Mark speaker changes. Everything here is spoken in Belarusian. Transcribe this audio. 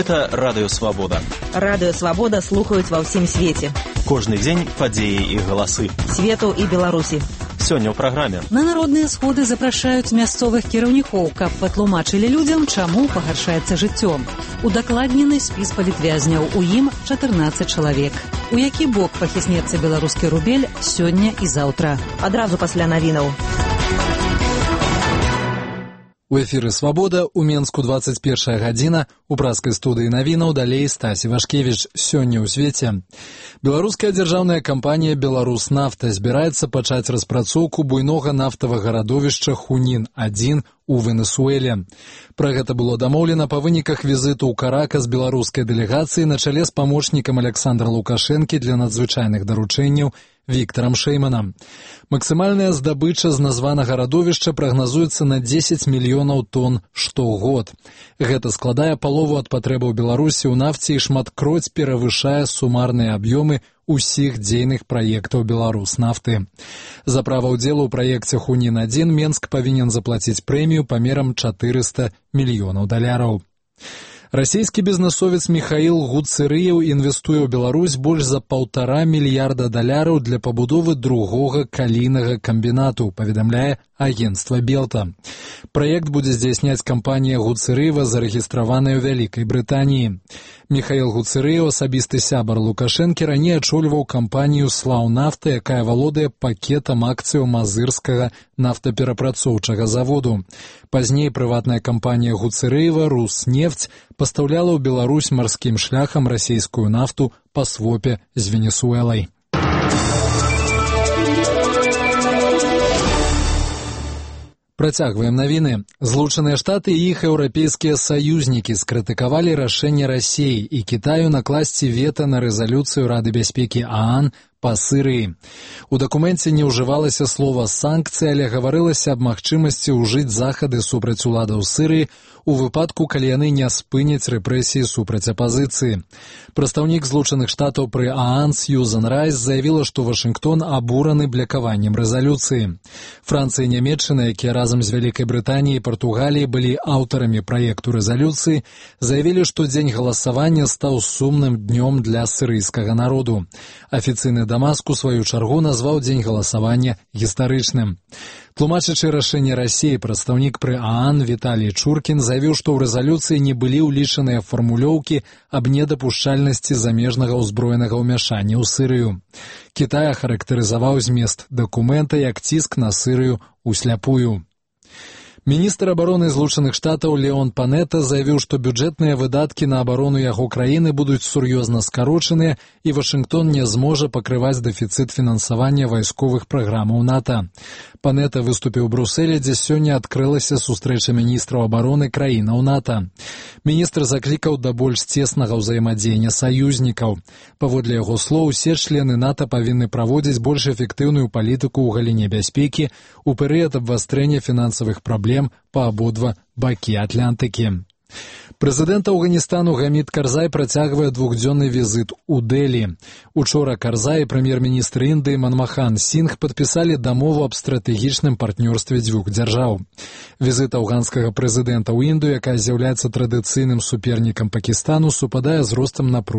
Speaker 1: Гэта Радыё Свабода.
Speaker 2: Радыё Свабода слухаюць ва ўсім свеце.
Speaker 1: Кожны дзень падзеі і галасы.
Speaker 2: Свету і Беларусі.
Speaker 1: Сёння ў праграме.
Speaker 3: На народныя сходы запрашаюць мясцовых кіраўнікоў, каб патлумачылі людзям, чаму пагаршаецца жыццё. Удакладнены спіс палітвязняў, у ім 14 чалавек. У які бок пахіснецца беларускі рубель сёння і заўтра.
Speaker 2: Адразу пасля навінаў.
Speaker 4: У эфіры «Свабода», у Менску 21 гадзіна, у праскай студыі навінаў, далей Стась Івашкевіч. Сёння ў свеце. Беларуская дзяржаўная кампанія «Беларуснафта» збіраецца пачаць распрацоўку буйнога нафтавага радовішча «Хунін-1» у Венесуэле. Пра гэта было дамоўлена па выніках візіту ў Каракас беларускай дэлегацыі на чале з памочнікам Александра Лукашэнкі для надзвычайных даручэнняў Віктарам Шэйманам. Максімальная здабыча з названага радовішча прагназуецца на 10 мільёнаў тонн штогод. Гэта складае палову ад патрэбаў Беларусі ў нафце і шматкроць перавышае сумарныя аб'ёмы усіх дзейных праектаў Беларуснафты. За права ўдзелу ў праекце «Хунін-1» Менск павінен заплаціць прэмію памерам 400 мільёнаў даляраў. Расійскі бізнесовец Міхаіл Гуцэрыеў інвестуе ў Беларусь больш за 1,5 мільярда даляраў для пабудовы другога калійнага камбінату, паведамляе агенцтва Белта. Праект будзе здзяйсняць кампанія Гуцэрыева, зарэгістраваная ў Вялікай Брытаніі. Міхаіл Гуцэрыеў, асабісты сябар Лукашэнкі, раней ачольваў кампанію «Слаўнафта», якая валодае пакетам акцыяў мазырскага нафтаперапрацоўчага заводу. Пазней прыватная кампанія Гуцэрыева «Руснефть» пастаўляла ў Беларусь марскім шляхам расійскую нафту па свопе з Венесуэлай. Працягваем навіны. Злучаныя Штаты і іх еўрапейскія саюзнікі скрытыкавалі рашэнне Расіі і Кітаю накласці вета на рэзалюцыю Рады бяспекі ААН па Сірыі. У дакуменце не ўжывалася слова «санкцыі», але гаварылася аб магчымасці ўжыць захады супраць уладаў Сірыі у выпадку, калі яны не спыняць рэпрэсіі супраць апазіцыі. Прадстаўнік Злучаных Штатаў пры ААН Сьюзан Райс заявіла, што Вашынгтон абураны блакаваннем рэзалюцыі. Францыя і Нямецчына, якія разам з Вялікай Брытаніяй і Партугаліяй былі аўтарамі праекту рэзалюцыі, заявілі, што дзень галасавання стаў сумным днём для сірыйскага народу. Афіцыйны Дамаск у сваю чаргу назваў дзень галасавання гістарычным. Тлумачачы рашэнне Расіі, прадстаўнік пры ААН Віталій Чуркін заявіў, што ў рэзалюцыі не былі ўлічаныя фармулёўкі аб недапушчальнасці замежнага ўзброенага ўмяшання ў Сірыю. Кітай ахарактарызаваў змест дакумента як ціск на Сірыю усляпую. Міністр абароны Злучаных Штатаў Леон Панета заявіў, што бюджэтныя выдаткі на абарону яго краіны будуць сур'ёзна скарочаныя і Вашынгтон не зможа пакрываць дэфіцыт фінансавання вайсковых праграмаў НАТО. Панета выступіў у Брусэлі, дзе сёння адкрылася сустрэча міністраў абароны краінаў НАТО. Міністр заклікаў да больш цеснага ўзаемадзеяння саюзнікаў. Паводле яго слоў, усе члены НАТО павінны праводзіць больш эфектыўную палітыку ў галіне бяспекі у перыяд абвастрэння фінансавых праблем па абодва бакі Атлантыкі. Прэзідэнт Афганістану Гамід Карзай працягвае двухдзённы візіт у Дэлі. Учора Карзай і прэм'ер-міністр Індыі Манмахан Сінгх падпісалі дамову аб стратэгічным партнёрстве дзвюх дзяржаў. Візіт афганскага прэзідэнта ў Індыю, якая з'яўляецца традыцыйным супернікам Пакістану, супадае з ростам напружання